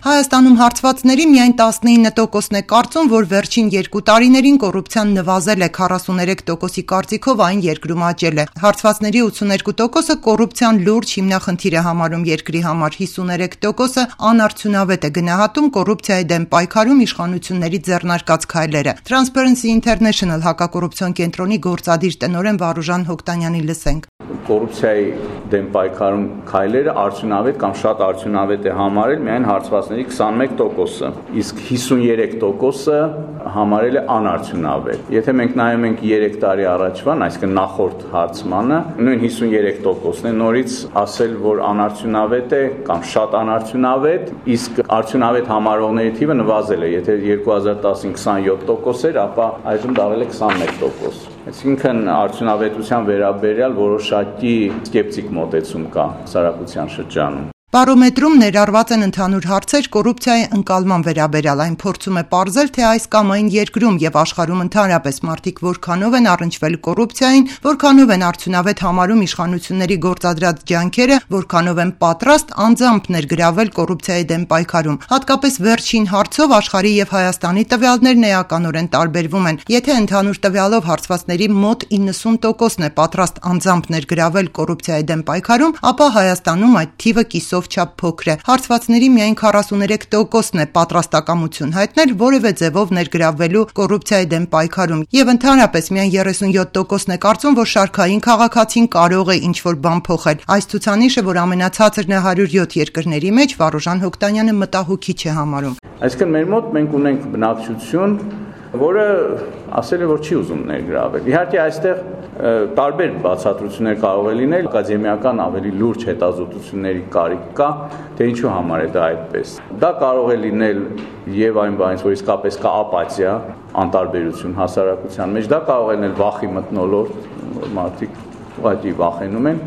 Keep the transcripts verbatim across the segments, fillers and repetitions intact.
Հայաստանում հարցվածների միայն տասնինը տոկոսն է կարծում, որ վերջին երկու տարիներին կոռուպցիան նվազել է, քառասուներեք տոկոսի կարծիքով այն երկրում աճել է։ Հարցվածների ութսուներկու տոկոսը կոռուպցիան լուրջ հիմնախնդիր է համարում երկրի համար, հիսուներեք տոկոսը անարդյունավետ է գնահատում կոռուպցիայի դեմ պայքարում իշխանությունների ձեռնարկած քայլերը։ Transparency International հակակոռուպցիոն կենտրոնի գործադիր տնօրեն Վարուժան Հոկտանյանի լսենք։ Կոռուպցիայի դեմ պայքարում քայլերը արդյունավետ կամ շատ արդյունավետ է համարել միայն հարցվածների քսանմեկ տոկոսը, իսկ հիսուներեք տոկոսը համարել է անարդյունավետ։ Եթե մենք նայում ենք երեք տարի առաջվան, այսինքն նախորդ հարցմանը, նույն հիսուներեք տոկոսն է, նորից ասել, որ անարդյունավետ է կամ շատ անարդյունավետ, իսկ արդյունավետ համարողների թիվը նվազել է։ Եթե երկու հազար տասին քսանյոթ տոկոս էր, ապա այժմ դառել է քսանմեկ տոկոս։ Այսինքն արդյունավետության վերաբերյալ որոշակի սկեպտիկ մոտեցում կա հասարակության շրջանում։ Բարոմետրում ներառված են ընդհանուր հարցեր կոռուպցիայի ընկալման վերաբերյալ, այն փորձում է պարզել, թե այս կամ այն երկրում եւ աշխարհում ընդհանրապես մարդիկ որքանով են առնչվել կոռուպցիային, որքանով են արդյունավետ համարում իշխանությունների գործադրած ջանքերը, որքանով են պատրաստ անձամբ ներգրավել կոռուպցիայի դեմ պայքարում։ Հատկապես վերջին հարցով աշխարհի եւ Հայաստանի տվյալներն էականորեն տարբերվում են։ Եթե ընդհանուր տվյալով հարցվածների մոտ իննսուն տոկոսն է պատրաստ անձամբ ներգրավել կոռուպցիայի դեմ պայքարում, ապա Հայաստանում այդ թիվը կիսով չափ փոքր է։ Հարցվածների միայն քառասուներեք տոկոսն է պատրաստակամություն հայտնել որևէ ձևով ներգրավվելու կոռուպցիայի դեմ պայքարում, եւ ընդհանրապես միայն երեսունյոթ տոկոսն է կարծում, որ շարքային քաղաքացին կարող է ինչ-որ բան փոխել։ Այս ցուցանիշը, որ ամենացածրն է հարյուր յոթ երկրների մեջ, Վարուժան Հոկտանյանը մտահոգիչ է համարում։ Այսինքն մեր մոտ մենք ունենք բնակչություն, որը ասել է, որ չի ուզում ներգրավել։ Իհարկե այստեղ տարբեր բացատրություններ կարող է լինել, ակադեմիական ավելի լուրջ հետազոտությունների կարիք կա, թե ինչու համար է դա այդպես։ Դա կարող է լինել եւ այն բանից, որ իսկապես կա ապաթիա, անտարբերություն հասարակության մեջ, դա կարող է լինել վախի մթնոլորտ, որ մարդիկ ուղղակի վախենում են,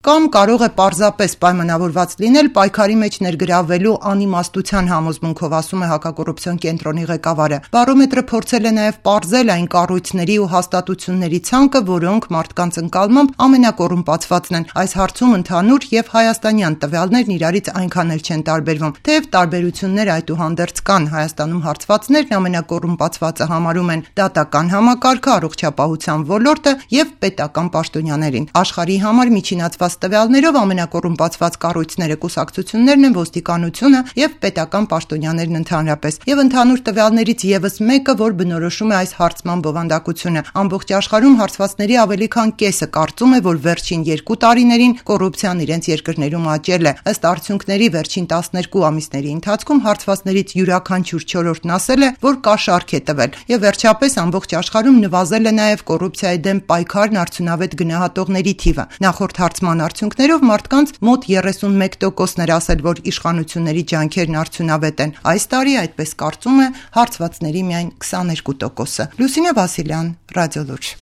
կամ կարող է պարզապես պայմանավորված լինել պայքարի մեջ ներգրավվելու անիմաստության համոզմունքով, ասում է հակակոռուպցիոն կենտրոնի ղեկավարը։ Բարոմետրը փորձել է նաև պարզել այն կառույցների ու հաստատությունների ցանկը, որոնք մարդկանց ընկալմամբ ամենակոռումպացվածն են։ Այս հարցում ընդհանուր եւ հայաստանյան տվյալներն իրարից այնքան էլ չեն տարբերվում։ Թեև տարբերություններ այդուհանդերձ կան, Հայաստանում հարցվածներն ամենակոռումպացվածը համարում են դատական համակարգը, առողջապահության ոլորտը եւ պետական պաշտոնյաներին։ Աշխարհի համար միջինացված տվյալներով ամենակոռումպացված կառույցները կուսակցություններն են, ոստիկանությունը եւ պետական պաշտոնյաներն ընդհանրապես։ Եվ ընդհանուր տվյալներից եւս մեկը, որ բնորոշում է այս հարցման բովանդակությունը։ Ամբողջ աշխարհում հարցվածների ավելի քան կեսը կարծում է, որ վերջին երկու տարիներին կոռուպցիան իրենց երկրներում աճել է։ Ըստ արդյունքների վերջին տասներկու ամիսների ընթացքում հարցվածներից յուրաքանչյուր չորրորդն ասել է, որ կա շարք է տվել։ Եվ վերջապես ամբողջ աշխարհում նվազել է նաեւ կոռուպցիայի դեմ պայքարն արդյունավետ գնահատողների թիվը։ Նախորդ հարցման արդյունքներով մարդկանց մոտ երեսունմեկ տոկոսն էր ասել, որ իշխանությունների ջանքերն արդյունավետ են։ Այս տարի այդպես կարծում է հարցվածների միայն քսաներկու տոկոսը։ Լուսինե Վասիլյան, Ռադիոլուրջ։